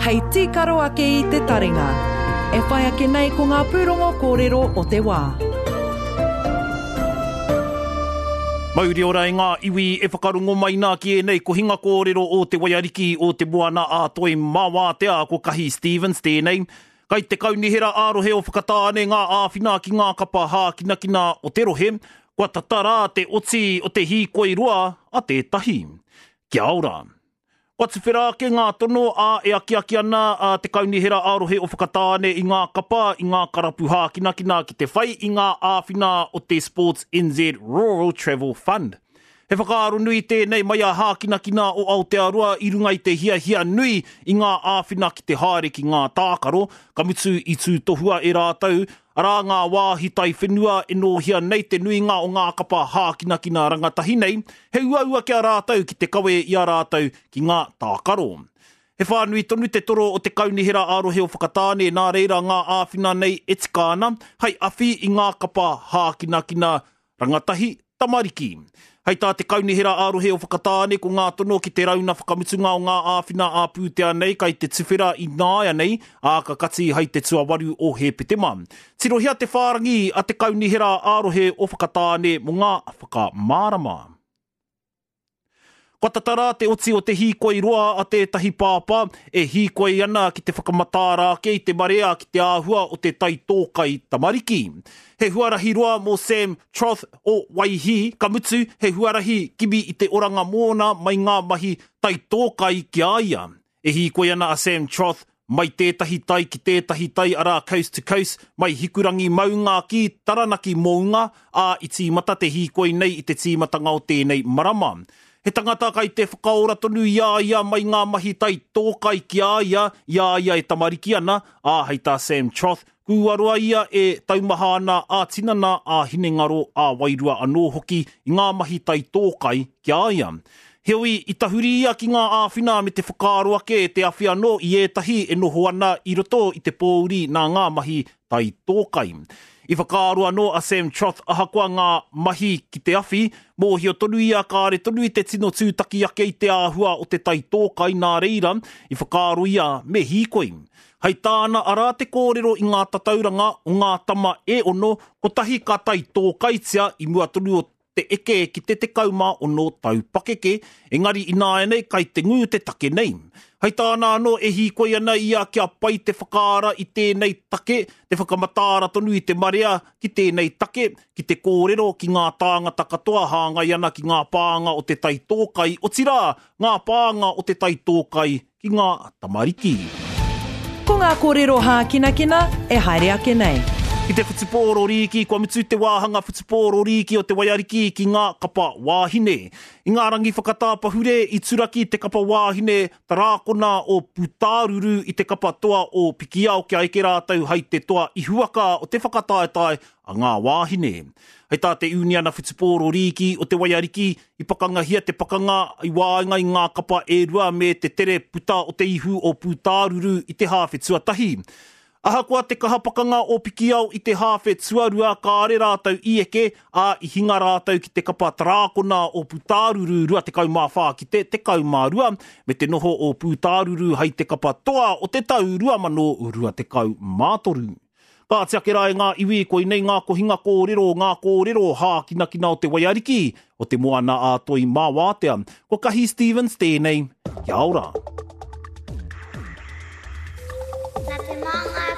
Hei tīkaro ake i te taringa. E whai ake nei ko ngā pūrongo kōrero o te wā. Mauri ora e ngā iwi e whakarongo mai nā ki ēnei kohinga kōrero o Te Waiariki o Te Moana a Toi mā Wātea ko Kahi Stevens tēnei. Kai te kaunihera ā-rohe o Whakatāne ngā āwhina ki ngā kapa hākinakina o te rohe, kua tata rā te oti o te hīkoi roa a tētahi. Kia ora. Kua tuwhera ake ngā tono, ā, e akiaki ana a Te Kaunihera ā-Rohe o Whakatāne i ngā kapa, i ngā karapu hākinakina ki te whai i ngā āwhina o te Sports NZ Rural Travel Fund. He whakaaro nui tēnei mai a Hākinakina o Aotearoa i runga i te hiahia nui i ngā āwhina ki te haere ki ngā tākaro, ka mutu i tūtohua e rātou Arā ngā wāhi taiwhenua e nōhia nei te nuinga o ngā kapa hākinakina rangatahi nei, he uaua ki a rātou ki te kawe i a rātou ki ngā tākaro. He whānui tonu te toro o te Kaunihera ā-Rohe o Whakatāne nā reira ngā āwhina nei e tika ana hei awhi i ngā kapa hākinakina Rangatahi, tamariki. Hei tā te Kaunihera ā-Rohe o Whakatāne ko ngā tono ki te rauna whakamutunga o ngā āwhina ā-pūtea nei kai te tuwhera i nāianei, ā, ka kati hai te tuawaru o Hēpetema. Tirohia te whārangi a te Kaunihera ā-Rohe o Whakatāne mō ngā whakamārama. Kua tata rā te oti o te hīkoi roa a tētahi pāpā e hīkoi ana ki te whakamataara ake i te marea ki te āhua o te taitōkai tamariki. He huarahi roa mō Sam Troth o Waihī, ka mutu, he huarahi kimi i te oranga mōna mai ngā mahi taitōkai ki a ia. E hīkoi ana a Sam Troth mai tētahi tai ki tētahi tai arā coast to coast, mai Hikurangi maunga ki Taranaki mounga, ā, i tīmata te hīkoi nei i te tīmatanga o tēnei marama. He tangata kai te whakaora tonu i a ia mai ngā mahi taitōkai ki a ia i a ia e tamariki ana, ā, hei tā Sam Troth, Kua roa ia e taumaha ana ā-tinana, ā-hinengaro, ā-wairua anō hoki i ngā mahi taitōkai ki a ia. Heoi, i tahuri ia ki ngā āwhina me te whakaaro ake te awhi anō i ētahi e noho ana i roto i te pōuri nā ngā mahi taitōkai. I whakaaro anō a Sam Troth ahakoa ngā mahi ki te awhi, mōhio tonu ia kāre tonu i te tino tūtaki ake i te āhua o te taitōkai nā reira, i whakaaro ia me hīkoi. Hei tāna arā te kōrero i ngā tatauranga o ngā tama e ono, kotahi ka taitōkaitia i mua tonu o te eke ki te 16 tau pakeke, engari ināianei kai te ngū te take nei. Hei tāna anō e hīkoi ana ia kia pai te whakaara i tēnei take, te whakamataara tonu i te marea ki tēnei take, ki te kōrero ki ngā tāngata katoa hāngai ana ki ngā pānga o te taitōkai, otirā, ngā pānga o te taitōkai ki ngā tamariki. Ko ngā kōrero hākinakina e haere ake nei. Ki te whutupōro rīki, kua mutu te wāhanga whutupōro rīki o te Waiariki ki ngā kapa wāhine. I ngā rangi whakatāpahure i turaki te kapa wāhine tarākona o Pūtāruru i te kapa toa o Pikiao kia eke rātou hai te toa ihuwaka o te whakataetae a ngā wāhine. Hei tā te Uniana Whutupōro Rīki o te Waiariki, i pakangahia te pakanga i waenga i ngā kapa e rua me te tere puta o te ihu o Pūtāruru i te hāwhe tuatahi. Ahakoa te kaha pakanga o Pikiao i te hāwhe tuarua kāre rātou i eke, ā, i hinga rātou ki te kapa tarākona o Pūtāruru 24 ki te 12, me te noho o Pūtāruru hai te kapa toa o te tau 2023. Kāti ake rā e ngā iwi, koinei ngā kohinga kōrero, ngā kōrero hākinakina o te waiariki, o te moana ā Toi mā Wātea. Ko Kahi Stevens tēnei, kia ora. Nā te māngai.